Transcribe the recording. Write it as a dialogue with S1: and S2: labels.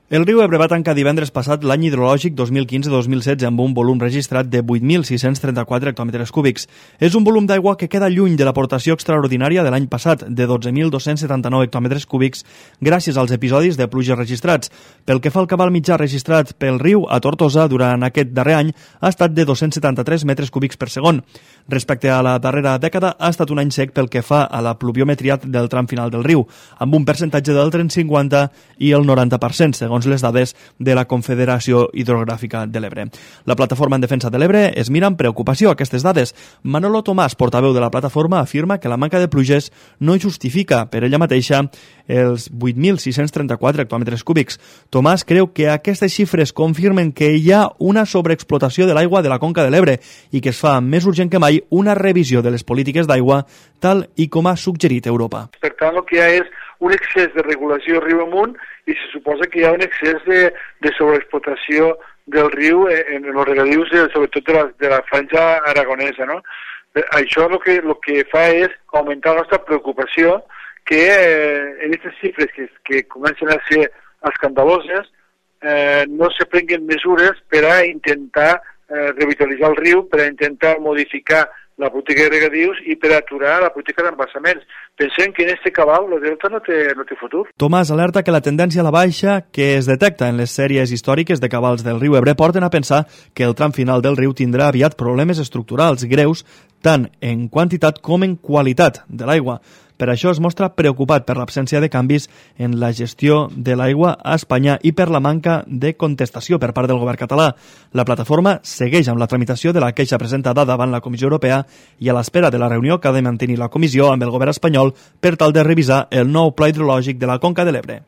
S1: El riu Ebre va tancar divendres passat l'any hidrològic 2015-2016 amb un volum registrat de 8.634 hectòmetres cúbics. És un volum d'aigua que queda lluny de l'aportació extraordinària de l'any passat, de 12.279 hectòmetres cúbics, gràcies als episodis de pluges registrats. Pel que fa al cabal mitjà registrat pel riu a Tortosa durant aquest darrer any ha estat de 273 metres cúbics per segon. Respecte a la darrera dècada, ha estat un any sec pel que fa a la pluviometria del tram final del riu, amb un percentatge d'entre el 50 i el 90%, segons les dades de la Confederació Hidrogràfica de l'Ebre. La Plataforma en Defensa de l'Ebre es mira amb preocupació aquestes dades. Manolo Tomàs, portaveu de la plataforma, afirma que la manca de pluges no justifica per ella mateixa els 8.634 hectòmetres cúbics. Tomàs creu que aquestes xifres confirmen que hi ha una sobreexplotació de l'aigua de la conca de l'Ebre i que es fa més urgent que mai una revisió de les polítiques d'aigua, tal i com ha suggerit Europa.
S2: Per tant, el que hi ha és un excés de regulació riu amunt i se suposa que hi ha un excés de sobreexplotació del riu en els regadius, sobretot de la franja aragonesa, no? Això el que fa és augmentar la nostra preocupació que en aquestes xifres que comencen a ser escandaloses no se prenguen mesures per a intentar revitalitzar el riu, per a intentar modificar la política de regadius i per aturar la política d'embassaments. Pensem que en este cabal el delta no té futur.
S1: Tomàs alerta que la tendència a la baixa que es detecta en les sèries històriques de cabals del riu Ebre porten a pensar que el tram final del riu tindrà aviat problemes estructurals greus tant en quantitat com en qualitat de l'aigua. Per això es mostra preocupat per l'absència de canvis en la gestió de l'aigua a Espanya i per la manca de contestació per part del govern català. La plataforma segueix amb la tramitació de la queixa presentada davant la Comissió Europea i a l'espera de la reunió que ha de mantenir la Comissió amb el govern espanyol per tal de revisar el nou pla hidrològic de la Conca de l'Ebre.